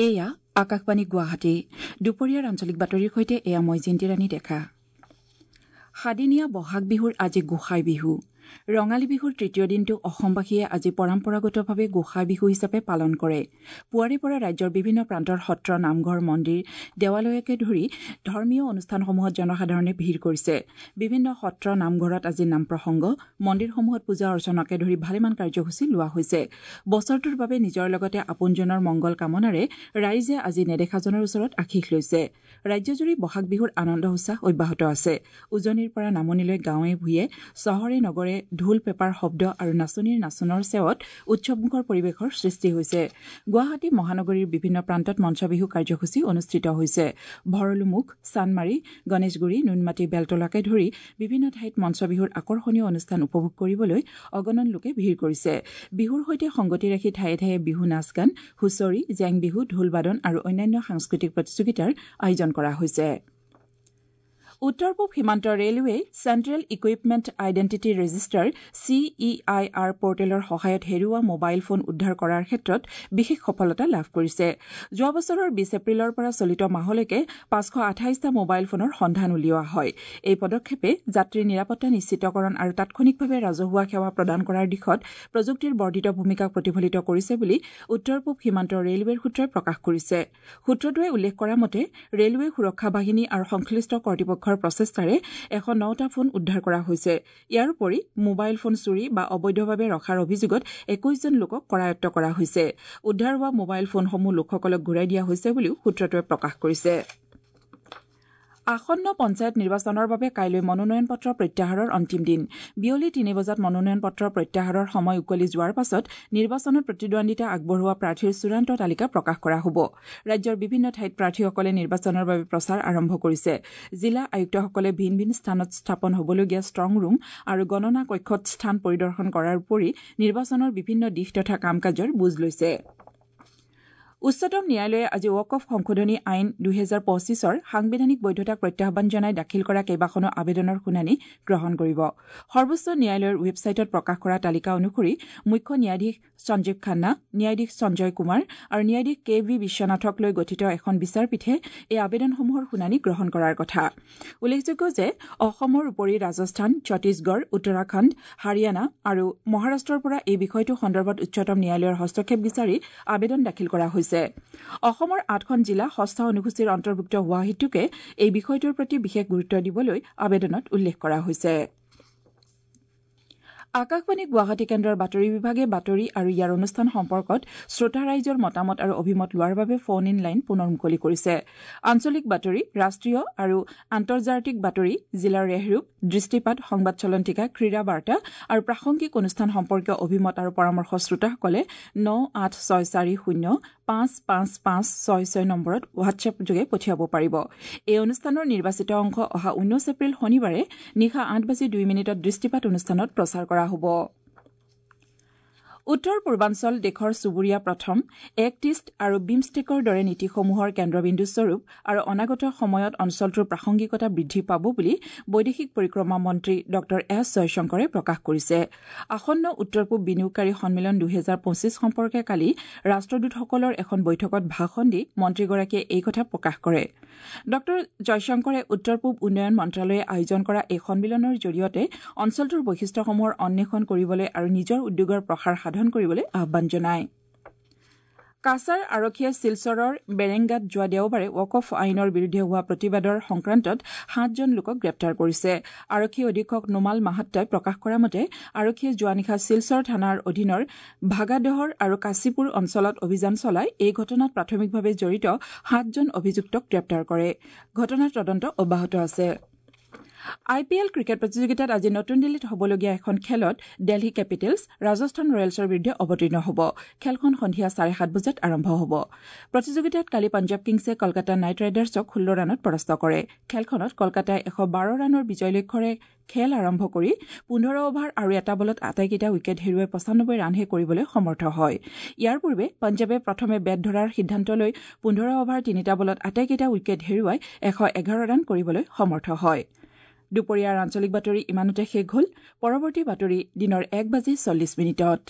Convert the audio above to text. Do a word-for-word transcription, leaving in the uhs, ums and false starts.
এয়া আকাশবাণী গুৱাহাটী। দুপৰীয়াৰ আঞ্চলিক বাতৰিৰ সৈতে এয়া মই জিন্তিৰাণী ডেকা। সাদিনীয়া বহাগ বিহুৰ আজি গোসাই বিহু। ৰঙালী বিহুৰ তৃতীয় দিনটো অসমবাসীয়ে আজি পৰম্পৰাগতভাৱে গোসাই বিহু হিচাপে পালন কৰে। পুৱাৰে পৰা ৰাজ্যৰ বিভিন্ন প্ৰান্তৰ সত্ৰ, নামঘৰ, মন্দিৰ, দেৱালয়কে ধৰি ধৰ্মীয় অনুষ্ঠানসমূহত জনসাধাৰণে ভিৰ কৰিছে। বিভিন্ন সত্ৰ, নামঘৰত আজি নাম প্ৰসংগ, মন্দিৰসমূহত পূজা অৰ্চনাকে ধৰি ভালেমান কাৰ্যসূচী লোৱা হৈছে। বছৰটোৰ বাবে নিজৰ লগতে আপোনজনৰ মংগল কামনাৰে ৰাইজে আজি নেদেখাজনৰ ওচৰত আশীষ লৈছে। ৰাজ্যজুৰি বহাগ বিহুৰ আনন্দ উৎসাহ অব্যাহত আছে। উজনিৰ পৰা নামনিলৈ গাঁৱে ভূঞে, চহৰে নগৰে ঢোল পেপাৰ শব্দ আৰু নাচনীৰ নাচোনৰ চেৱত উৎসৱমুখৰ পৰিৱেশৰ সৃষ্টি হৈছে। গুৱাহাটী মহানগৰীৰ বিভিন্ন প্ৰান্তত মঞ্চ বিহু কাৰ্যসূচী অনুষ্ঠিত হৈছে। ভৰলুমুখ, চানমাৰী, গণেশগুৰি, নুনমাটি, বেলতলাকে ধৰি বিভিন্ন ঠাইত মঞ্চ বিহুৰ আকৰ্ষণীয় অনুষ্ঠান উপভোগ কৰিবলৈ অগণন লোকে ভিৰ কৰিছে। বিহুৰ সৈতে সংগতি ৰাখি ঠায়ে ঠায়ে বিহু নাচ গান, হুঁচৰি, জেং বিহু, ঢোল বাদন আৰু অন্যান্য সাংস্কৃতিক প্ৰতিযোগিতাৰ আয়োজন কৰা হৈছে। উত্তৰ পূব সীমান্ত ৰেলৱেই Central Equipment Identity Register C E I R পৰ্টেলৰ সহায়ত হেৰুওৱা মোবাইল ফোন উদ্ধাৰ কৰাৰ ক্ষেত্ৰত বিশেষ সফলতা লাভ কৰিছে। যোৱা বছৰৰ বিছ এপ্ৰিলৰ পৰা চলিত মাহলৈকে পাঁচশ আঠাইছটা মোবাইল ফোনৰ সন্ধান উলিওৱা হয়। এই পদক্ষেপে যাত্ৰীৰ নিৰাপত্তা নিশ্চিতকৰণ আৰু তাৎক্ষণিকভাৱে ৰাজহুৱা সেৱা প্ৰদান কৰাৰ দিশত প্ৰযুক্তিৰ বৰ্ধিত ভূমিকাক প্ৰতিফলিত কৰিছে বুলি উত্তৰ পূব সীমান্ত ৰেলৱেৰ সূত্ৰই প্ৰকাশ কৰিছে। সূত্ৰটোৱে উল্লেখ কৰা মতে ৰেলৱে সুৰক্ষা বাহিনী আৰু সংশ্লিষ্ট কৰ্তৃপক্ষ প্ৰচেষ্টাৰে এশ নটা ফোন উদ্ধাৰ কৰা হৈছে। ইয়াৰ উপৰি মোবাইল ফোন চুৰি বা অবৈধভাৱে ৰখাৰ অভিযোগত একৈশজন লোকক কৰায়ত্ব কৰা হৈছে। উদ্ধাৰ হোৱা মোবাইল ফোনসমূহ লোকসকলক ঘূৰাই দিয়া হৈছে বুলিও সূত্ৰটোৱে প্ৰকাশ কৰিছে। আসন্ন পঞ্চায়ত নিৰ্বাচনৰ বাবে কাইলৈ মনোনয়ন পত্ৰ প্ৰত্যাহাৰৰ অন্তিম দিন। বিয়লি তিনি বজাত মনোনয়ন পত্ৰ প্ৰত্যাহাৰৰ সময় উকলি যোৱাৰ পাছত নিৰ্বাচনত প্ৰতিদ্বন্দ্বিতা আগবঢ়োৱা প্ৰাৰ্থীৰ চূড়ান্ত তালিকা প্ৰকাশ কৰা হ'ব। ৰাজ্যৰ বিভিন্ন ঠাইত প্ৰাৰ্থীসকলে নিৰ্বাচনৰ বাবে প্ৰচাৰ আৰম্ভ কৰিছে। জিলা আয়ুক্তসকলে ভিন ভিন স্থানত স্থাপন হ'বলগীয়া ষ্ট্ৰং ৰুম আৰু গণনা কক্ষত স্থান পৰিদৰ্শন কৰাৰ উপৰি নিৰ্বাচনৰ বিভিন্ন দিশ তথা কাম কাজৰ বুজ লৈছে। উচ্চতম ন্যায়ালয়ে আজি ৱাকফ সংশোধনী আইন দুহেজাৰ পঁচিছৰ সাংবিধানিক বৈধতাক প্ৰত্যাহ্বান জনাই দাখিল কৰা কেইবাখনো আবেদনৰ শুনানি গ্ৰহণ কৰিব। সৰ্বোচ্চ ন্যায়ালয়ৰ ৱেবছাইটত প্ৰকাশ কৰা তালিকা অনুসৰি মুখ্য ন্যায়াধীশ সঞ্জীৱ খান্না, ন্যায়াধীশ সঞ্জয় কুমাৰ আৰু ন্যায়াধীশ কে ভি বিশ্বনাথক লৈ গঠিত এখন বিচাৰপীঠে এই আবেদনসমূহৰ শুনানি গ্ৰহণ কৰাৰ কথা। উল্লেখযোগ্য যে অসমৰ উপৰি ৰাজস্থান, ছত্তীশগড়, উত্তৰাখণ্ড, হাৰিয়ানা আৰু মহাৰাষ্ট্ৰৰ পৰা এই বিষয়টো সন্দৰ্ভত উচ্চতম ন্যায়ালয়ৰ হস্তক্ষেপ বিচাৰি আবেদন দাখিল কৰা হৈছে। অসমৰ আঠখন জিলা ষষ্ঠ অনুসূচীৰ অন্তৰ্ভুক্ত হোৱা হেতুকে এই বিষয়টোৰ প্ৰতি বিশেষ গুৰুত্ব দিবলৈ আবেদনত উল্লেখ কৰা হৈছে। আকাশবাণী গুৱাহাটী কেন্দ্ৰৰ বাতৰি বিভাগে বাতৰি আৰু ইয়াৰ অনুষ্ঠান সম্পৰ্কত শ্ৰোতা ৰাইজৰ মতামত আৰু অভিমত লোৱাৰ বাবে ফোন ইন লাইন পুনৰ মুকলি কৰিছে। আঞ্চলিক বাতৰি, ৰাষ্ট্ৰীয় আৰু আন্তৰ্জাতিক বাতৰি, জিলাৰ ৰেহৰূপ, দৃষ্টিপাত, সংবাদ চলন্তিকা, ক্ৰীড়া বাৰ্তা আৰু প্ৰাসংগিক অনুষ্ঠান সম্পৰ্কীয় অভিমত আৰু পৰামৰ্শ শ্ৰোতাসকলে ন আঠ ছয় চাৰি শূন্য পাঁচ পাঁচ পাঁচ ছয় ছয় নম্বৰত হোৱাটছএপ যোগে পঠিয়াব পাৰিব। এই অনুষ্ঠানৰ নিৰ্বাচিত অংশ অহা ঊনৈছ এপ্ৰিল শনিবাৰে নিশা আঠ বাজি দুই মিনিটত দৃষ্টিপাত অনুষ্ঠানত প্ৰচাৰ কৰা হ'ব। উত্তৰ পূৰ্বাঞ্চল দেশৰ চুবুৰীয়া প্ৰথম, এক্ট ইষ্ট আৰু বিমষ্টেকৰ দৰে নীতিসমূহৰ কেন্দ্ৰবিন্দুস্বৰূপ আৰু অনাগত সময়ত অঞ্চলটোৰ প্ৰাসংগিকতা বৃদ্ধি পাব বুলি বৈদেশিক পৰিক্ৰমা মন্ত্ৰী ডঃ এছ জয়শংকৰে প্ৰকাশ কৰিছে। আসন্ন উত্তৰ পূব বিনিয়োগকাৰী সন্মিলন দুহেজাৰ পঁচিছ সম্পৰ্কে কালি ৰাষ্ট্ৰদূতসকলৰ এখন বৈঠকত ভাষণ দি মন্ত্ৰীগৰাকীয়ে এই কথা প্ৰকাশ কৰে। ডঃ জয়শংকৰে উত্তৰ পূব উন্নয়ন মন্ত্ৰালয়ে আয়োজন কৰা এই সন্মিলনৰ জৰিয়তে অঞ্চলটোৰ বৈশিষ্ট্যসমূহৰ অন্বেষণ কৰিবলৈ আৰু নিজৰ উদ্যোগৰ প্ৰসাৰ সাধন কৰিবলৈ আহ্বান জনায়। কাছাৰ আৰক্ষীয়ে শিলচৰৰ বেৰেংগাত যোৱা দেওবাৰে ৱাকফ আইনৰ বিৰুদ্ধে হোৱা প্ৰতিবাদৰ সংক্ৰান্তত সাতজন লোকক গ্ৰেপ্তাৰ কৰিছে। আৰক্ষী অধীক্ষক নোমাল মাহাত্তাই প্ৰকাশ কৰা মতে আৰক্ষীয়ে যোৱা নিশা শিলচৰ থানাৰ অধীনৰ ভাগাদহৰ আৰু কাশীপুৰ অঞ্চলত অভিযান চলাই এই ঘটনাত প্ৰাথমিকভাৱে জড়িত সাতজন অভিযুক্তক গ্ৰেপ্তাৰ কৰে। ঘটনাৰ তদন্ত অব্যাহত আছে। আই পি এল ক্ৰিকেট প্ৰতিযোগিতাত আজি নতুন দিল্লীত হ'বলগীয়া এখন খেলত দিল্লী কেপিটেলছ ৰাজস্থান ৰয়েলছৰ বিৰুদ্ধে অৱতীৰ্ণ হ'ব। খেলখন সন্ধিয়া চাৰে সাত বজাত আৰম্ভ হ'ব। প্ৰতিযোগিতাত কালি পঞ্জাৱ কিংছে কলকাতা নাইট ৰাইডাৰ্ছক ষোল্ল ৰানত পৰাস্ত কৰে। খেলখনত কলকাতাই এশ বাৰ ৰানৰ বিজয় লক্ষ্যৰে খেল আৰম্ভ কৰি পোন্ধৰ অভাৰ আৰু এটা বলত আটাইকেইটা উইকেট হেৰুৱাই পঁচানব্বৈ ৰানহে কৰিবলৈ সমৰ্থ হয়। ইয়াৰ পূৰ্বে পঞ্জাৱে প্ৰথমে বেট ধৰাৰ সিদ্ধান্ত লৈ পোন্ধৰ অভাৰ তিনিটা বলত আটাইকেইটা উইকেট হেৰুৱাই এশ এঘাৰ ৰান কৰিবলৈ সমৰ্থ হয়। দুপৰীয়াৰ আঞ্চলিক বাতৰি ইমানতে শেষ হ'ল। পৰৱৰ্তী বাতৰি দিনৰ এক বাজি চল্লিছ মিনিটত।